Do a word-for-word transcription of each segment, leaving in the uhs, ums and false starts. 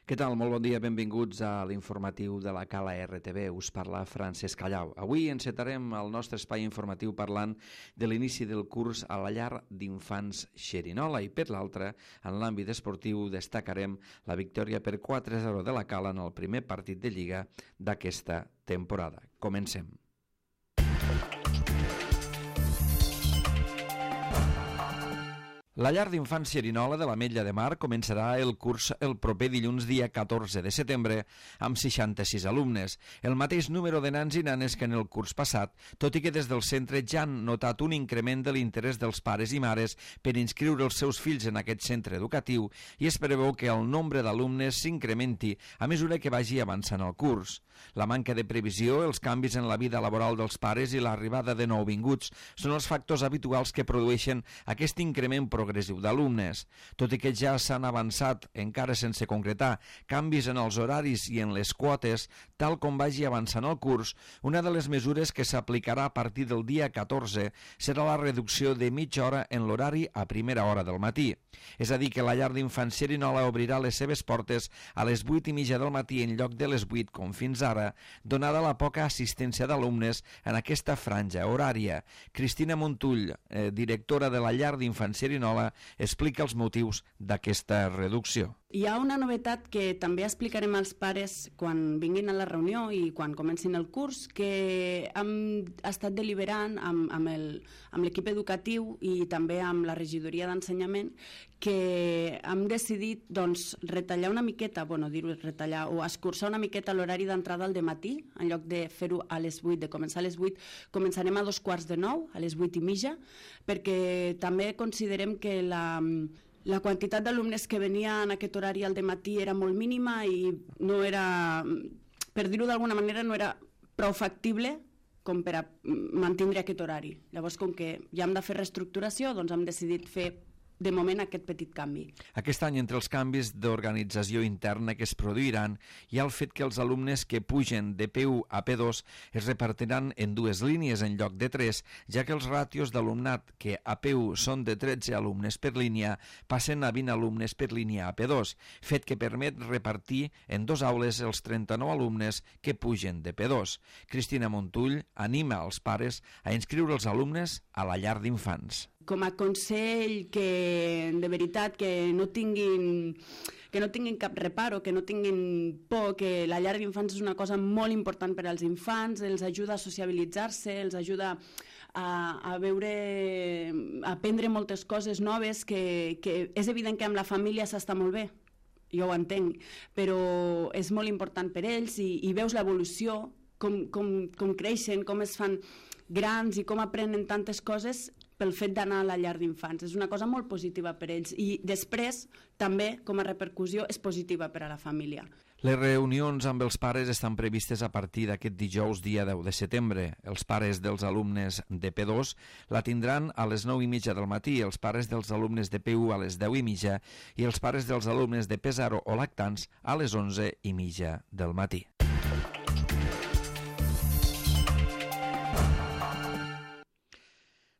Què tal? Molt bon dia, benvinguts a l'informatiu de la Cala R T V. Us parla Francesc Callau. Avui encetarem el nostre espai informatiu parlant de l'inici del curs a la llar d'infants Xerinola i per l'altra, en l'àmbit esportiu, destacarem la victòria per quatre a zero de la Cala en el primer partit de Lliga d'aquesta temporada. Comencem. La llar d'infants Xerinola de l'Ametlla de Mar començarà el curs el proper dilluns dia catorze de setembre amb seixanta-sis alumnes, el mateix número de nans i nanes que en el curs passat, tot i que des del centre ja han notat un increment de l'interès dels pares i mares per inscriure els seus fills en aquest centre educatiu i es preveu que el nombre d'alumnes s'incrementi a mesura que vagi avançant el curs. La manca de previsió, els canvis en la vida laboral dels pares i l'arribada de nouvinguts són els factors habituals que produeixen aquest increment progressiu progressiu d'alumnes. Tot i que ja s'han avançat, encara sense concretar, canvis en els horaris i en les quotes, tal com vagi avançant el curs, una de les mesures que s'aplicarà a partir del dia catorze serà la reducció de mitja hora en l'horari a primera hora del matí. És a dir, que la llar d'infants Xerinola obrirà les seves portes a les vuit i mitja del matí en lloc de les vuit, com fins ara, donada la poca assistència d'alumnes en aquesta franja horària. Cristina Montull, eh, directora de la llar d'infants Xerinola, explica els motius d'aquesta reducció. Hi ha una novetat que també explicarem als pares quan vinguin a la reunió i quan comencin el curs, que hem estat deliberant amb, amb, el, amb l'equip educatiu i també amb la regidoria d'ensenyament, que hem decidit doncs, retallar una miqueta, bueno, dir-ho retallar, o escurçar una miqueta l'horari d'entrada al dematí, en lloc de fer-ho a les vuit, de començar a les vuit, començarem a dos quarts de nou, a les vuit i mitja, perquè també considerem que la... La quantitat d'alumnes que venia en aquest horari al dematí era molt mínima i no era, per dir-ho d'alguna manera, no era prou factible com per a mantenir aquest horari. Llavors, com que ja hem de fer reestructuració, doncs hem decidit fer de moment aquest petit canvi. Aquest any, entre els canvis d'organització interna que es produiran, hi ha el fet que els alumnes que pugen de P u a P dos es repartiran en dues línies en lloc de tres, ja que els ràtios d'alumnat que a P u són de tretze alumnes per línia passen a vint alumnes per línia a P dos, fet que permet repartir en dos aules els trenta-nou alumnes que pugen de P dos. Cristina Montull anima els pares a inscriure els alumnes a la llar d'infants. Com a consell que de veritat que no tinguin que no tinguin cap reparo, que no tinguin por, que la llar d'infants és una cosa molt important per als infants, els ajuda a sociabilitzar-se, els ajuda a, a veure, a aprendre moltes coses noves, que, que és evident que amb la família s'està molt bé, jo ho entenc, però és molt important per ells i, i veus l'evolució, com, com, com creixen, com es fan grans i com aprenen tantes coses pel fet d'anar a la llar d'infants. És una cosa molt positiva per ells i després també com a repercussió és positiva per a la família. Les reunions amb els pares estan previstes a partir d'aquest dijous dia deu de setembre. Els pares dels alumnes de P dos la tindran a les nou i mitja del matí, els pares dels alumnes de P u a les deu i mitja i els pares dels alumnes de P zero o lactants a les onze i mitja del matí.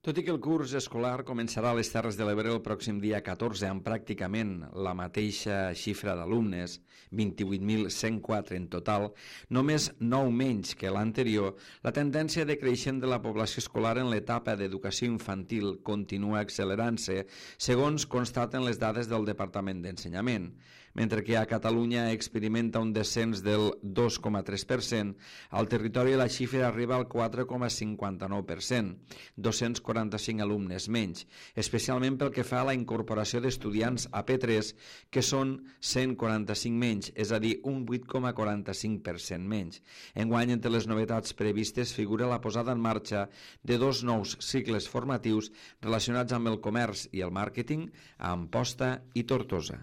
Tot i que el curs escolar començarà a les Terres de l'Ebre el pròxim dia catorze amb pràcticament la mateixa xifra d'alumnes, vint-i-vuit mil cent quatre en total, només nou menys que l'anterior, la tendència decreixent de la població escolar en l'etapa d'educació infantil continua accelerant-se, segons constaten les dades del Departament d'Ensenyament. Mentre que a Catalunya experimenta un descens del dos coma tres per cent, al territori la xifra arriba al quatre coma cinquanta-nou per cent, dos-cents quaranta-cinc alumnes menys, especialment pel que fa a la incorporació d'estudiants a P tres, que són cent quaranta-cinc menys, és a dir, un vuit coma quaranta-cinc per cent menys. Enguany, entre les novetats previstes figura la posada en marxa de dos nous cicles formatius relacionats amb el comerç i el màrqueting a Amposta i Tortosa.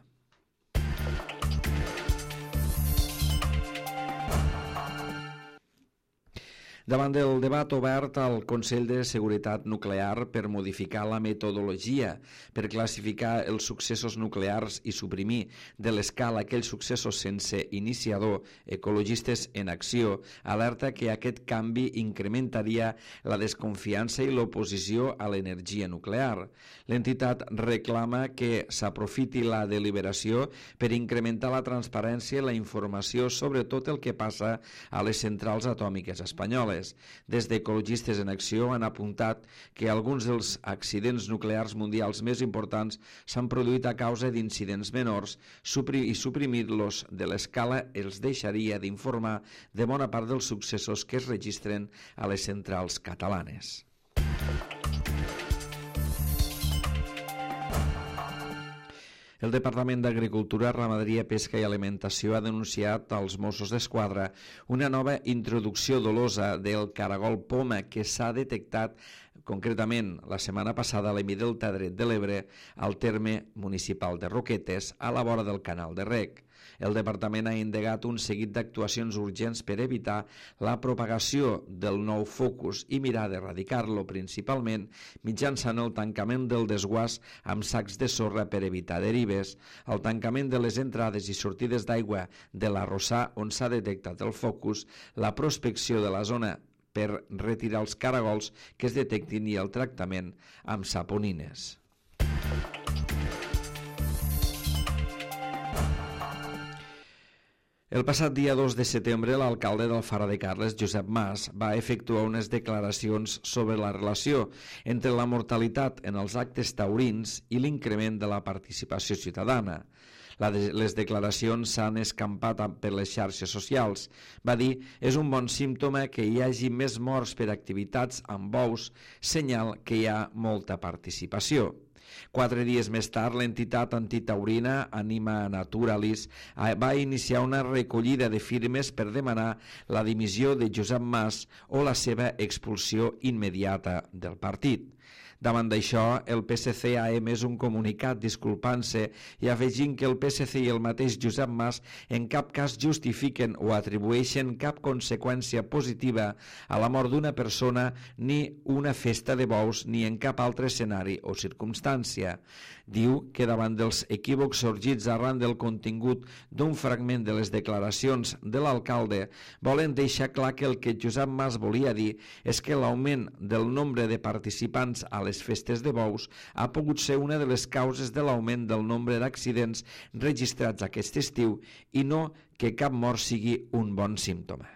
Davant del debat obert al Consell de Seguretat Nuclear per modificar la metodologia per classificar els successos nuclears i suprimir de l'escala aquells successos sense iniciador, Ecologistes en Acció alerta que aquest canvi incrementaria la desconfiança i l'oposició a l'energia nuclear. L'entitat reclama que s'aprofiti la deliberació per incrementar la transparència i la informació sobre tot el que passa a les centrals atòmiques espanyoles. Des d'Ecologistes en Acció han apuntat que alguns dels accidents nuclears mundials més importants s'han produït a causa d'incidents menors i suprimir-los de l'escala els deixaria d'informar de bona part dels successos que es registren a les centrals catalanes. El Departament d'Agricultura, Ramaderia, Pesca i Alimentació ha denunciat als Mossos d'Esquadra una nova introducció dolosa del caragol poma que s'ha detectat concretament la setmana passada a l'Hemidelta dret de l'Ebre al terme municipal de Roquetes a la vora del canal de Rec. El departament ha endegat un seguit d'actuacions urgents per evitar la propagació del nou focus i mirar d'erradicar-lo principalment mitjançant el tancament del desguàs amb sacs de sorra per evitar derives, el tancament de les entrades i sortides d'aigua de l'arrossar on s'ha detectat el focus, la prospecció de la zona per retirar els caragols que es detectin i el tractament amb saponines. El passat dia dos de setembre, l'alcalde d'Alfara de Carles, Josep Mas, va efectuar unes declaracions sobre la relació entre la mortalitat en els actes taurins i l'increment de la participació ciutadana. Les declaracions s'han escampat per les xarxes socials. Va dir, és un bon símptoma que hi hagi més morts per activitats amb bous, senyal que hi ha molta participació. Quatre dies més tard, l'entitat antitaurina Anima Naturalis va iniciar una recollida de firmes per demanar la dimissió de Josep Mas o la seva expulsió immediata del partit. Davant d'això, el P S C ha emès un comunicat disculpant-se i afegint que el P S C i el mateix Josep Mas en cap cas justifiquen o atribueixen cap conseqüència positiva a la mort d'una persona ni una festa de bous ni en cap altre escenari o circumstància. Diu que davant dels equívocs sorgits arran del contingut d'un fragment de les declaracions de l'alcalde volen deixar clar que el que Josep Mas volia dir és que l'augment del nombre de participants a les festes de bous ha pogut ser una de les causes de l'augment del nombre d'accidents registrats aquest estiu i no que cap mort sigui un bon símptoma.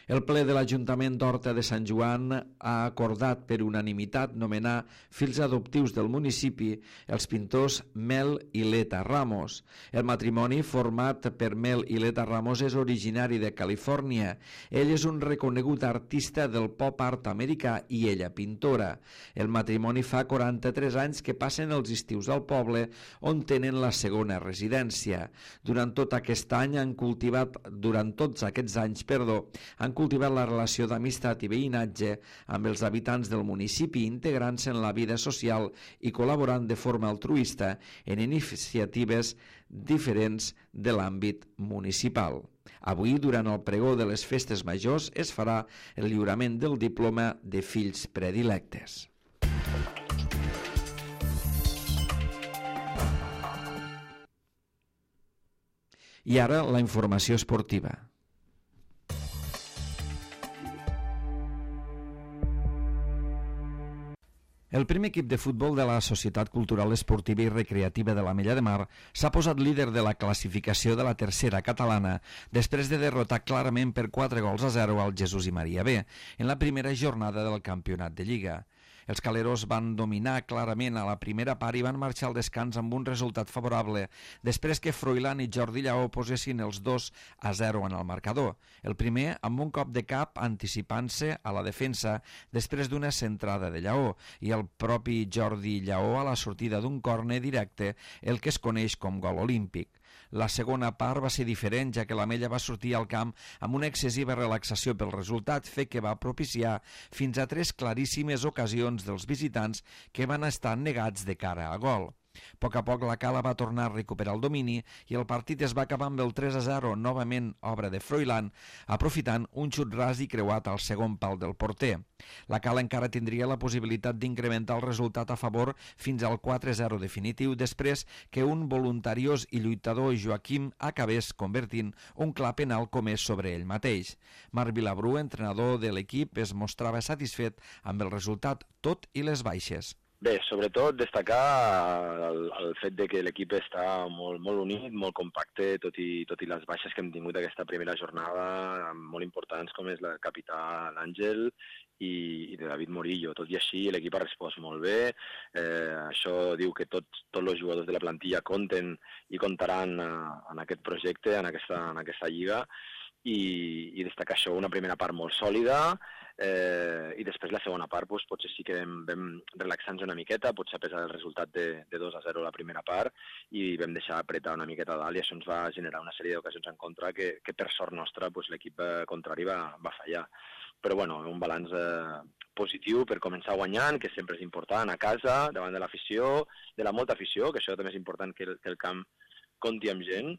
El ple de l'Ajuntament d'Horta de Sant Joan ha acordat per unanimitat nomenar fills adoptius del municipi els pintors Mel i Leta Ramos. El matrimoni format per Mel i Leta Ramos és originari de Califòrnia. Ell és un reconegut artista del pop art americà i ella pintora. El matrimoni fa quaranta-tres anys que passen els estius al poble on tenen la segona residència. Durant tot aquest any han cultivat, durant tots aquests anys, perdó, han cultivat la relació d'amistat i veïnatge amb els habitants del municipi, integrant-se en la vida social i col·laborant de forma altruista en iniciatives diferents de l'àmbit municipal. Avui, durant el pregó de les festes majors, es farà el lliurament del diploma de fills predilectes. I ara la informació esportiva. El primer equip de futbol de la Societat Cultural Esportiva i Recreativa de l'Ametlla de Mar s'ha posat líder de la classificació de la tercera catalana després de derrotar clarament per quatre gols a zero al Jesús i Maria B en la primera jornada del campionat de Lliga. Els caleros van dominar clarament a la primera part i van marxar al descans amb un resultat favorable després que Froilán i Jordi Lleó posessin els dos a zero en el marcador. El primer amb un cop de cap anticipant-se a la defensa després d'una centrada de Lleó i el propi Jordi Lleó a la sortida d'un córner directe, el que es coneix com gol olímpic. La segona part va ser diferent, ja que l'Ametlla va sortir al camp amb una excessiva relaxació pel resultat, fet que va propiciar fins a tres claríssimes ocasions dels visitants que van estar negats de cara a gol. A poc a poc la Cala va tornar a recuperar el domini i el partit es va acabar amb el tres a zero, novament obra de Froilán, aprofitant un xut ras i creuat al segon pal del porter. La Cala encara tindria la possibilitat d'incrementar el resultat a favor fins al quatre a zero definitiu després que un voluntariós i lluitador Joaquim acabés convertint un clar penal comès sobre ell mateix. Marc Vilabrú, entrenador de l'equip, es mostrava satisfet amb el resultat, tot i les baixes. Bé, sobretot destacar el, el fet de que l'equip està molt, molt unit, molt compacte, tot i, tot i les baixes que hem tingut aquesta primera jornada, molt importants com és la capità l'Àngel i, i de David Morillo. Tot i així l'equip ha respost molt bé, eh, això diu que tots, tots els jugadors de la plantilla compten i comptaran eh, en aquest projecte, en aquesta, en aquesta lliga, i, i destacar això, una primera part molt sòlida, eh, i després la segona part doncs, potser sí que vam, vam relaxar-nos una miqueta, potser a pesar del resultat de, de dos a zero la primera part, i vam deixar apretar una miqueta dalt i això ens va generar una sèrie d'ocasions en contra que, que per sort nostra doncs, l'equip contrari va, va fallar. Però bueno, un balanç eh, positiu per començar guanyant, que sempre és important, a casa, davant de l'afició, de la molta afició, que això també és important que el, que el camp compti amb gent,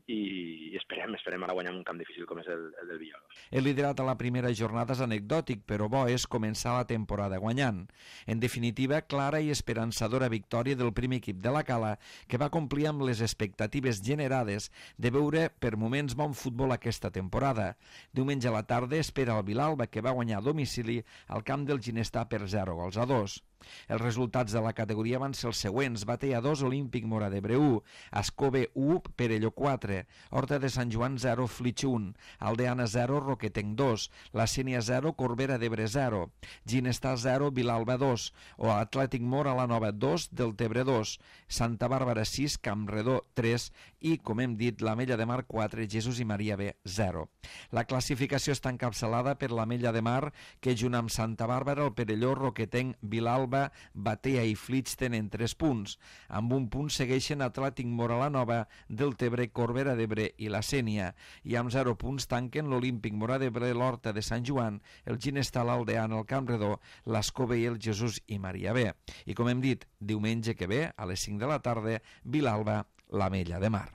i esperem, esperem ara guanyar un camp difícil com és el, el del Villalobos. El liderat a la primera jornada és anecdòtic, però bo és començar la temporada guanyant. En definitiva, clara i esperançadora victòria del primer equip de la Cala, que va complir amb les expectatives generades de veure per moments bon futbol aquesta temporada. Diumenge a la tarda espera el Vilalba, que va guanyar a domicili al camp del Ginestà per zero gols a dos. Els resultats de la categoria van ser els següents: Batea dos, Olímpic Móra d'Ebre u, Ascove u, Perelló quatre, Horta de Sant Joan zero, Flix un, Aldeana zero, Roquetenc dos, La Sénia zero, Corbera d'Ebre zero, Ginestà zero, Vilalba dos, o Atlètic Móra la Nova dos, Deltebre dos, Santa Bàrbara sis, Campredó tres i, com hem dit, l'Ametlla de Mar quatre, Jesús i Maria B zero. La classificació està encapçalada per l'Ametlla de Mar, que junt amb Santa Bàrbara, el Perelló, Roquetenc, Vilalba, Batea i Flix tenen tres punts. Amb un punt segueixen Atlètic Móra la Nova, Deltebre, Corbera d'Ebre i la Sénia, i amb zero punts tanquen l'Olímpic Móra d'Ebre, l'Horta de Sant Joan, el Ginestà, l'Aldeana, el Campredó, l'Ascove i el Jesús i Maria B. I com hem dit, diumenge que ve, a les cinc de la tarda, Vilalba, l'Ametlla de Mar.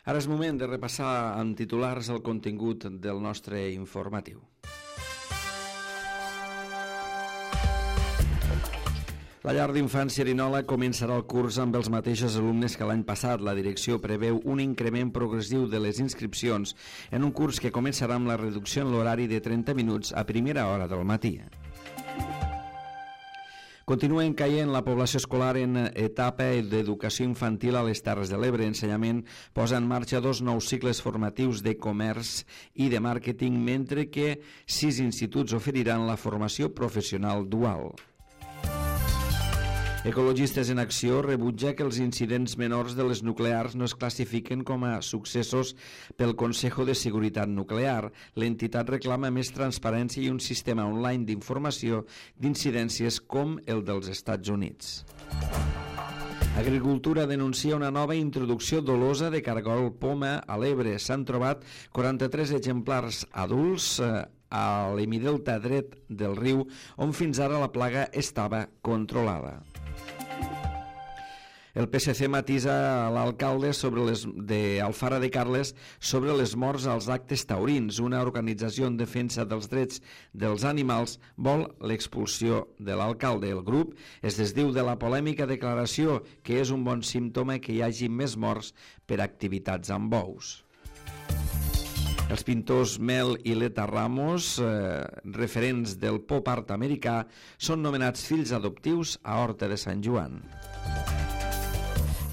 Ara és moment de repassar amb titulars el contingut del nostre informatiu. La llar d'infants Cerinola començarà el curs amb els mateixos alumnes que l'any passat. La direcció preveu un increment progressiu de les inscripcions en un curs que començarà amb la reducció en l'horari de trenta minuts a primera hora del matí. Continuen caient la població escolar en etapa d'educació infantil a les Terres de l'Ebre. Ensenyament posa en marxa dos nous cicles formatius de comerç i de màrqueting, mentre que sis instituts oferiran la formació professional dual. Ecologistes en Acció rebutja que els incidents menors de les nuclears no es classifiquen com a successos pel Consejo de Seguretat Nuclear. L'entitat reclama més transparència i un sistema online d'informació d'incidències com el dels Estats Units. Agricultura denuncia una nova introducció dolosa de cargol poma a l'Ebre. S'han trobat quaranta-tres exemplars adults a l'hemidelta dret del riu, on fins ara la plaga estava controlada. El P S C matisa l'alcalde sobre les de Alfara de Carles sobre les morts als actes taurins. Una organització en defensa dels drets dels animals vol l'expulsió de l'alcalde. El grup es desdiu de la polèmica declaració que és un bon símptoma que hi hagi més morts per activitats amb bous. Els pintors Mel i Leta Ramos, eh, referents del pop art americà, són nomenats fills adoptius a Horta de Sant Joan.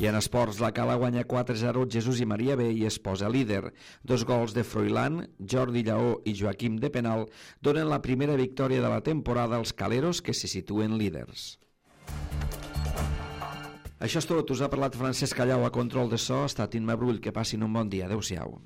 I en esports, la Cala guanya quatre a zero Jesús i Maria B i es posa líder. Dos gols de Froilán, Jordi Lleó i Joaquim de penal donen la primera victòria de la temporada als caleros, que se situen líders. Això és tot. Us ha parlat Francesc Callau a control de so. Ha estat Imma Brull. Que passin un bon dia. Adéu-siau.